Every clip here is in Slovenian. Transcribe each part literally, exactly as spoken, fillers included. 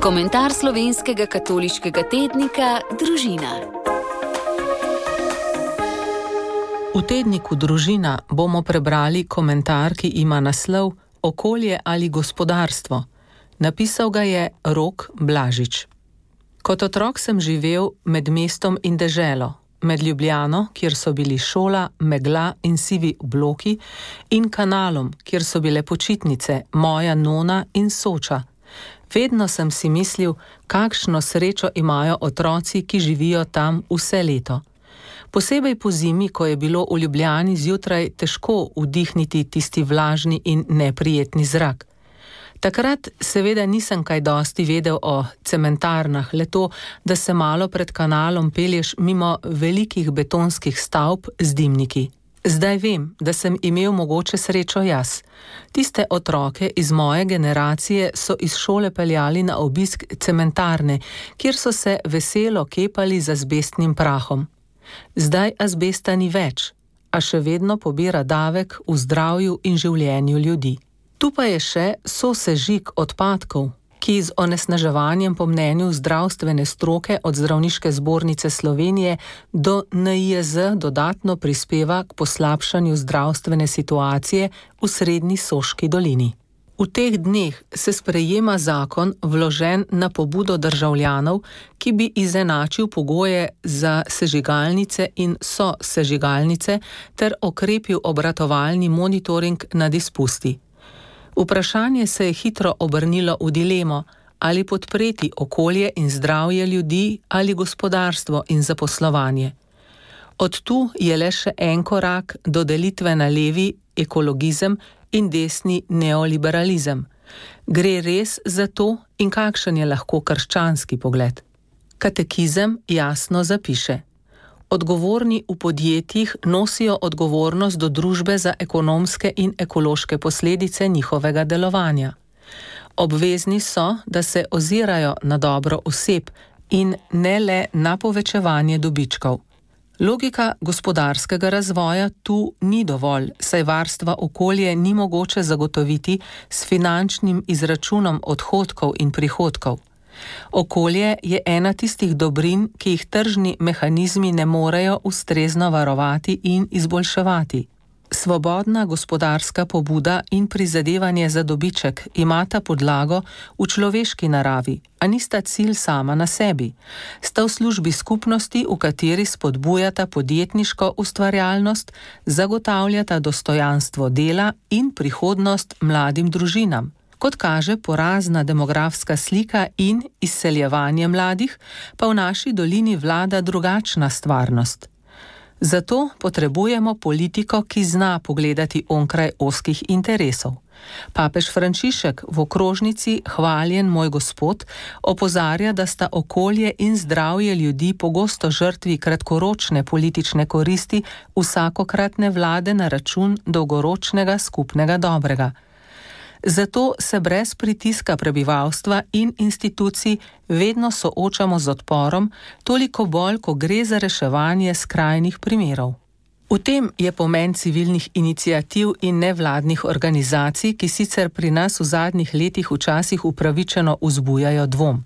Komentar slovenskega katoliškega tednika Družina. V tedniku Družina bomo prebrali komentar, ki ima naslov Okolje ali gospodarstvo. Napisal ga je Rok Blažič. Kot otrok sem živel med mestom in deželo, med Ljubljano, kjer so bili šola, megla in sivi bloki, in kanalom, kjer so bile počitnice, moja nona in Soča. Vedno sem si mislil, kakšno srečo imajo otroci, ki živijo tam vse leto. Posebej po zimi, ko je bilo v Ljubljani zjutraj težko vdihniti tisti vlažni in neprijetni zrak. Takrat seveda nisem kaj dosti vedel o cementarnah, le to, da se malo pred kanalom pelješ mimo velikih betonskih stavb z dimniki. Zdaj vem, da sem imel mogoče srečo jaz. Tiste otroke iz moje generacije so iz šole peljali na obisk cementarne, kjer so se veselo kepali z azbestnim prahom. Zdaj azbesta ni več, a še vedno pobira davek v zdravju in življenju ljudi. Tu pa je še sosežig odpadkov, ki z onesnaževanjem po mnenju zdravstvene stroke od Zdravniške zbornice Slovenije do N I J Z dodatno prispeva k poslabšanju zdravstvene situacije v srednji Soški dolini. V teh dneh se sprejema zakon, vložen na pobudo državljanov, ki bi izenačil pogoje za sežigalnice in sosežigalnice ter okrepil obratovalni monitoring nad izpusti. Vprašanje se je hitro obrnilo v dilemo, ali podpreti okolje in zdravje ljudi ali gospodarstvo in zaposlovanje. Od tu je le še en korak do delitve na levi ekologizem in desni neoliberalizem. Gre res za to in kakšen je lahko krščanski pogled? Katekizem jasno zapiše: odgovorni v podjetjih nosijo odgovornost do družbe za ekonomske in ekološke posledice njihovega delovanja. Obvezni so, da se ozirajo na dobro oseb in ne le na povečevanje dobičkov. Logika gospodarskega razvoja tu ni dovolj, saj varstva okolje ni mogoče zagotoviti s finančnim izračunom odhodkov in prihodkov. Okolje je ena tistih dobrin, ki jih tržni mehanizmi ne morejo ustrezno varovati in izboljševati. Svobodna gospodarska pobuda in prizadevanje za dobiček imata podlago v človeški naravi, a nista cilj sama na sebi. Sta v službi skupnosti, v kateri spodbujata podjetniško ustvarjalnost, zagotavljata dostojanstvo dela in prihodnost mladim družinam. Kot kaže porazna demografska slika in izseljevanje mladih, pa v naši dolini vlada drugačna stvarnost. Zato potrebujemo politiko, ki zna pogledati onkraj ozkih interesov. Papež Frančišek v okrožnici Hvaljen moj Gospod opozarja, da sta okolje in zdravje ljudi pogosto žrtvi kratkoročne politične koristi vsakokratne vlade na račun dolgoročnega skupnega dobrega. Zato se brez pritiska prebivalstva in institucij vedno soočamo z odporom, toliko bolj, ko gre za reševanje skrajnih primerov. V tem je pomen civilnih iniciativ in nevladnih organizacij, ki sicer pri nas v zadnjih letih včasih upravičeno vzbujajo dvom.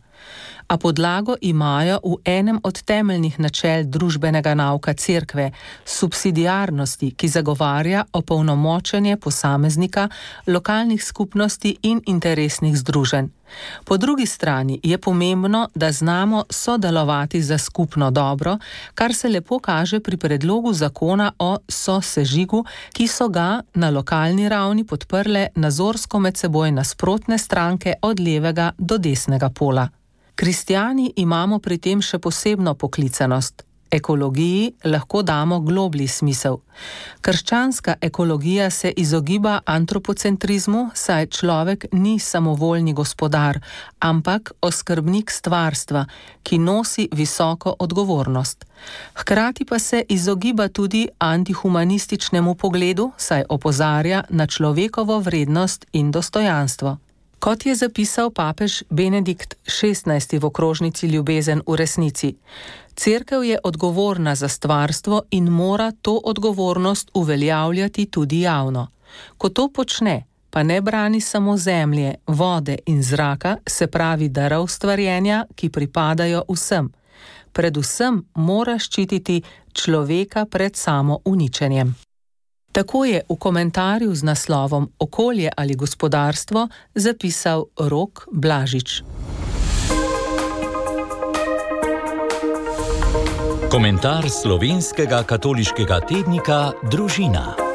A podlago imajo v enem od temeljnih načel družbenega nauka cerkve, subsidiarnosti, ki zagovarja opolnomočenje posameznika, lokalnih skupnosti in interesnih združenj. Po drugi strani je pomembno, da znamo sodelovati za skupno dobro, kar se lepo kaže pri predlogu zakona o sosežigu, ki so ga na lokalni ravni podprle nazorsko med seboj nasprotne stranke od levega do desnega pola. Kristjani imamo pri tem še posebno poklicanost. Ekologiji lahko damo globlji smisel. Krščanska ekologija se izogiba antropocentrizmu, saj človek ni samovoljni gospodar, ampak oskrbnik stvarstva, ki nosi visoko odgovornost. Hkrati pa se izogiba tudi antihumanističnemu pogledu, saj opozarja na človekovo vrednost in dostojanstvo. Kot je zapisal papež Benedikt šestnajsti v okrožnici Ljubezen v resnici, cerkev je odgovorna za stvarstvo in mora to odgovornost uveljavljati tudi javno. Ko to počne, pa ne brani samo zemlje, vode in zraka, se pravi darov stvarjenja, ki pripadajo vsem. Predvsem mora ščititi človeka pred samo uničenjem. Tako je v komentarju z naslovom Okolje ali gospodarstvo zapisal Rok Blažič. Komentar slovenskega katoliškega tednika Družina.